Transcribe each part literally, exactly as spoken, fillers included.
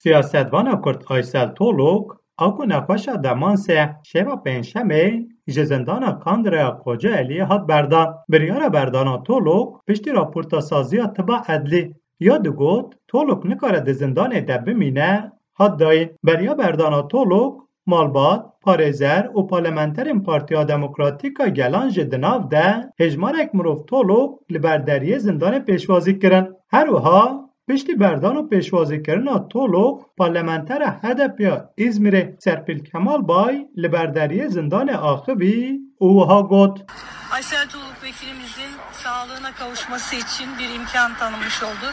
Siyasetvana Kurd Aysel Tolok, a ku nexweşa demansê şeva Pêncşemê ji zindana Kandiraya Kocaeliyê hat berdan. Biryara berdana Tolok piştî raporta saziya tiba edlî ya digot, Tolok nikare di zindanê de bimîne, hat dayîn. Beriya berdana Tolok, malbat, parêzer û parlamenterên Partiya Demokratîk a Gelan jî di nav de hêjmarek mirov Tolok li ber deriyê zindanê pêşwazî kirin. Her wiha piştî berdan û pêşwazîkirina Tolok, parlamentera H D P ya Îzmîrê Serpîl Kemal Bay li ber deriyê zindanê axivî û wiha got. Aysel Tuğluk vekilimizin sağlığına kavuşması için bir imkan tanınmış oldu.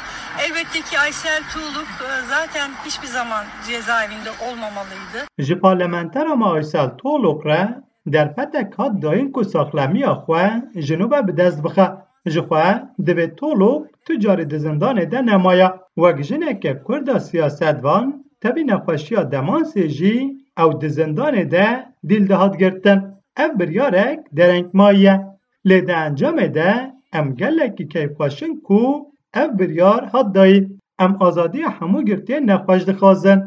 Elbette ki Aysel Tuğluk, e, zaten hiçbir zaman cezaevinde olmamalıydı. Ji parlamentera me Aysel Tolok re derfetek hat dayîn ku saxlemiya xwe ji nû ve bi dest bixe. Ji xwe divê Tolok tu carî di zindanê de nemaya. Wek jineke Kurda siyasetvan, tevî nexweşiya demansê jî ew di zindanê de dîl dihat girtin. Ev biryarek derengmayî ye. Lê di encamê de em gelekî keyfxweş in ku ev biryar hat dayîn. Em azadiya hemû girtiyên nexweş dixwazin.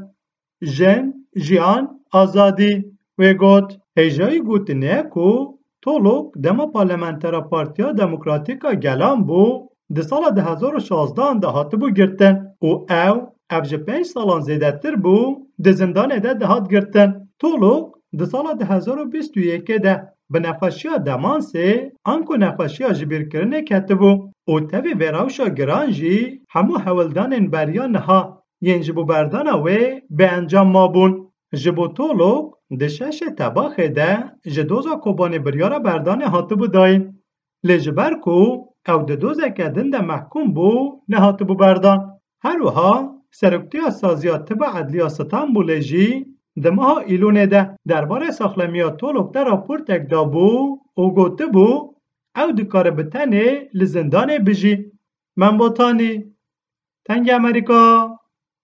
Jin, jiyan, azadî. Wê got, hêjayî gotinê ye ku Tolok dema parlamentera Partiya Demokratîk a Gelan bû, di sala du hezar û şazdehan de hatibû girtin û ew, ev ji pênc salan zêdetir bû, di zindanê de dihat girtin. Tolok di sala du hezar û bîst û yekê de bi nexweşiya demansê anku nexweşiya jibîrkirinê ketibû û tevî vê rewşa giran jî hemû hewldanên beriya niha yên ji bo berdana wê bi encam mabûn. Ji bo Tolok di şeşê Tebaxê de ji doza Kobanê biryara berdanê hatibû dayîn. Lê ji ber ku ew di dozeke din de mehkûm bû, nehatibû berdan. Her wiha Seroktiya Saziya Tiba Edliya Stenbolê jî di meha Îlonê de derbarê saxlemiya Tolok de raportek dabû û gotibû, ew dikare bi tenê li zindanê bijî. Membotanî, Tengê Amerîka,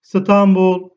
Stenbol.